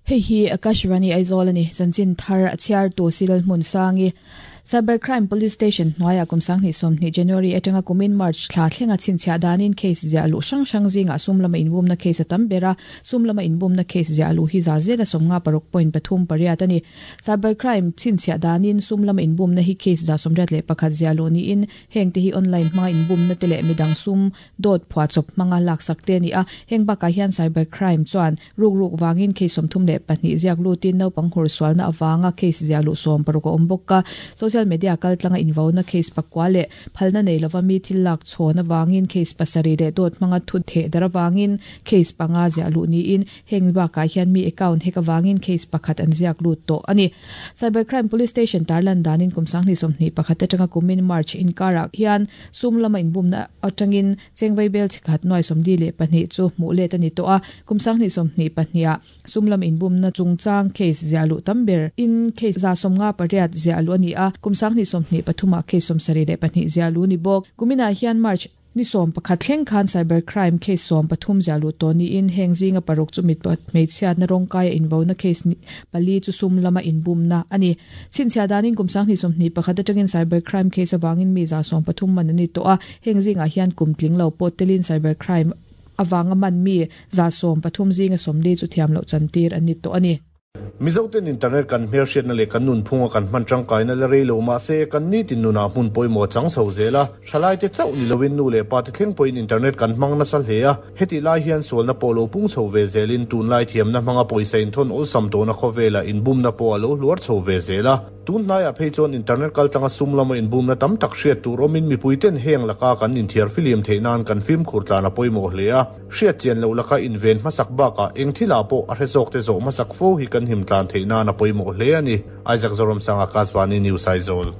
Hei hi Akashvani Aizawl a ni. Chanchin thar a chhiartu Silal Hmunsangi. Cyber Crime Police Station hnuaiah kum 2020 January atanga kumin March thla thlenga chhinchhiah danin case ziah luh hrang hrang zingah sum lama inbumna case a tam ber a, sum lama inbumna case ziah luh hi za zela 56.38 a ni. Cyber Crime chhinchhiah danin sum lama inbumna hi case 81 ziah luh niin hengte hi online hmanga inbumna te leh midang sum dawt phuahchawp hmanga laksak te a ni a, heng bakah hian cyber crime chuan Ruk ruk vangin case 32 ziak lutin naupang hur sualna avanga case ziah luh 60 a awm bawk a. Social media kaltlanga invauna case pakua leh phalna nei lova mi thil lak chhawn avangin case pasarih leh dawt hmanga thu theh dar avangin case panga ziah luh niin heng bakah hian mi account hack avangin case pakhat an ziak lut tawh a ni. Cyber Crime Police Station tarlan danin kum 2021 atanga kumin March inkarah hian sum lama inbumna atangin Chengvei bel chikhat nuai 42 chu hmuh let a ni tawh a, kum 2022 ah sum lam inbumna chungchang case ziah luh tam ber in case 58 ziah luh a ni a, kum 2023 ah case 72 ziah luh a ni bawk. Kuminah hian March ni 11 thleng khan cyber crime case 13 ziah luh tawh niin heng zinga paruk chu mitpat hmeichhiatna rawngkaia invona case pali chu sum lama inbumna a ni. Chhinchhiah danin kum 2021 atangin cyber crime case avangin mi 130 man an ni tawh a, heng zingah hian kum tling lo pawh telin cyber crime avanga man mi 130 zinga 40 chu thiam loh chantir an ni tawh a ni. Mizoten internet kan hmelhriatna leh kan nunphunga kan hman tangkaina la rei lo mahse kan nitin nunah hmun pawimawh a chang chho zel a, thalaite chauh ni loin nu leh pate thleng pawhin internet kan hmang nasa hle a. Hetih lai hian sualna pawh lo pung chho ve zelin tunlai thiamna hmanga pawisa inthawn awlsam tawhna khawvelah inbumna pawh a lo hluar chho ve zel a. Tun hnaiah phei chuan internet kaltlanga sum lama inbumna tam tak hriat tur awmin mipuiten heng laka kan inthiar filiam theih nan kan fimkhur tlan a pawimawh hle a. Hriat chian loh laka inven hmasak bakah eng thilah pawh a hre zawkte zawh hmasak fo hi kan him tlan theih nan a pawimawh hle a ni. Isaac Zoramsanga, Kasvani News, Aizawl.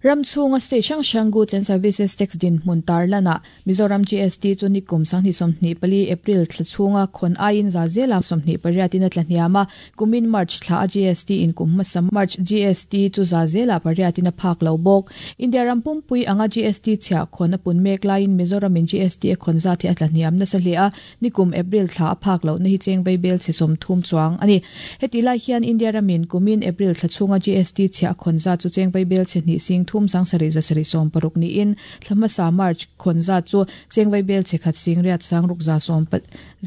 Ram chhunga state hrang hrang Goods and Services Tax dinhmun tarlanah Mizoram GST chu nikum 2024 April thla chhunga khawn aiin za zela 28 in a tla hniam a, kumin March thla a GST in kum hmasa March GST chu za zela pariat in a phak lo bawk. India ram pumpui anga GST chhiah khawn a pun mek laiin Mizoram in GST a khawn zat hi a tla hniam nasa hle a, Nikum April thla a phak lohna hi cheng vaibel chhe 30 chuang a ni. Heti lai hian India ramin kumin April thla chhunga GST chhiah khawn zat chu cheng vaibel chhe hnih sing thum sang sarih za sarih 60 niin thla hmasa March khawn zat chu cheng vaibel chhe khat sing riat sang ruk za sawm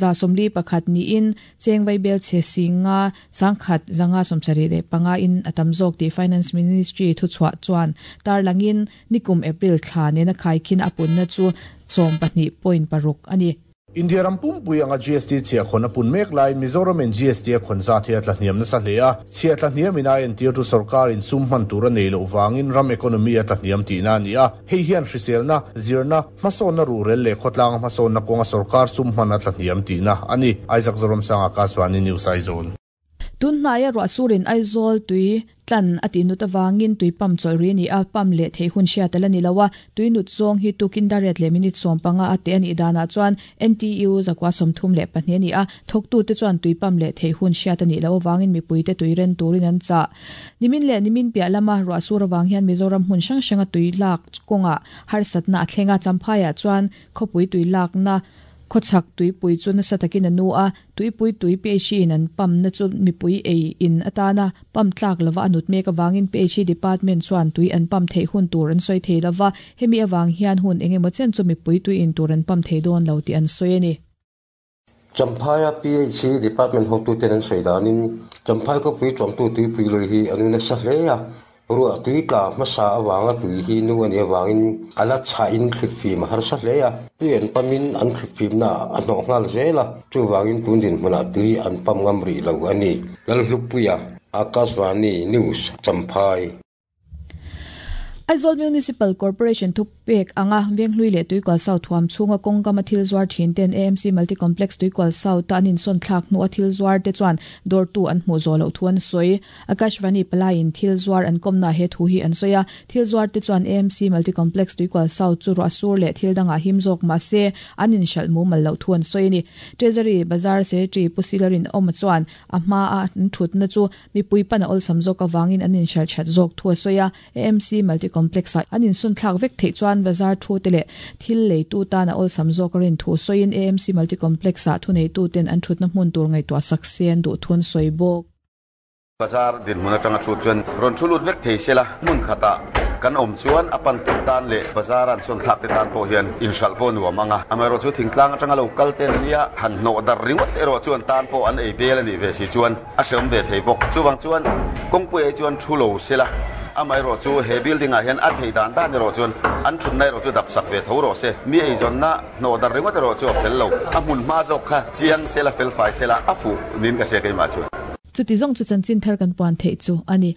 za 41 niin cheng vaibel chhe sing nga sang khat zanga 75 in a tam zawk tih Finance Ministry thuchhuah chuan tarlangin nikum April thla nena khaikhin a punna chu 12.6 a ni. India ram pumpui anga GST chhiah khawn a pun mek lai Mizoram in GST a khawn zat hi a tla hniam nasa hle a, chhiah tla hniam in a entir tu sorkar in sum hman tur a nei loh vangin ram economy a tla hniam tihna a ni a, hei hian hriselna, zirna, hmasawnna ruhrel leh khawtlanga hmasawnna kawnga sorkar sum hman a tla hniam tihna a ni. Isaac Zoramsanga, Kasvani News, Aizawl. Tun hnaia ruah surin Aizawl tui tlan a tih nut avangin tui pump chawlh ri a ni a, pump leh theih hun hriat a la ni lo a, tui nut zawng hi tukin dariat leh minute 15 a teh a nih danah chuan NTU zakua 32 a ni a, thawktute chuan tui pump leh theih hun hriat a nih loh avangin mipuite tui ren turin an chah. Nimin leh nimin piah lama ruah sur avang hian Mizoram hmun hrang hranga tui lak kawngah harsatna a thleng a, Champhaiah chuan khawpui tui lakna Khawchhak tuipui chu nasa takin a nu a, tuipui tui PHE in an pump na chu mipui ei in atana pump tlak lova a nut mek avangin PHE department chuan tui an pump theih hun tur an sawi thei lova, hemi avang hian hun eng emaw chen chu mipui tui in tur an pump thei dawn lo tih an sawi a ni. Champhaia PHE department hotuten an sawi danin Champhai khawpui tuamtu tuipui lui hi a nu nasa hle a, Ruah tui tla hmasa avanga tui hi nu a nih avangin a la chhahin thlitfim a harsa hle a, tui an pamin an thlitfimna a hnawh nghal zel a, chuvangin tun dinhmunah tui an pam ngam rih lo a ni. Lalhlupuia, Akashvani News, Champhai. Aizawl Municipal Corporation thupek anga Venghlui leh Tuikual South huam chhunga kawngkama thil zuar thin ten AMC Multi Complex Tuikual South-a an insawn thlak hnu a thil zuar te chuan dawrtu an hmuh zawh loh thu an sawi. Akashvani palaiin thil zuar an kawmna he thu hi an sawi a, thil zuar te chuan AMC Multi Complex Tuikual South chu ruah sur leh thil dangah him zawk mah se an inhralh mumal loh thu an sawi a ni. Treasury Bazar Secretary Pu Silarin Awma chuan a hmaa an thutna chu mipui pan a awlsam zawk avangin an inhralh that zawk thu a sawi a, AMC Multi Complex-ah an insunthlak vek theih chuan. chuan bazar thu te leh thil leitu tan a awlsam zawk a rin thu sawiin AMC Multi Complex-ah thuneituten an thutna hmun tur ngaihtuah sak se an duh thu an sawi bawk. Bazar dinhmun atanga chhut chuan rawn thu lut vek thei sela, hmun khatah kan awm chuan a pan tur tan leh bazar an sawn thlak te tan pawh hian inhralh pawh nuam ang a. Amaherawhchu thingtlang atanga lo kal te an nia, han hnawh darh ringawt erawh chuan tan pawh an ei bel a nih ve si chuan a hreawm ve thei bawk. Chuvang chuan kawngpui ai chuan thu lo sela, amaherawhchu he building ah hian a thei dan dan erawh chuan an thutna erawh chu dap sak ve tho rawh se. Mi eizawnna hnawh darh ringawt erawh chu a fel lo. A hmun hma zawk kha chiang sela, fel fai sela a fuh niin ka hria keimah chuan. Chuti zawng chu chanchin thar kan puan theih chu a ni.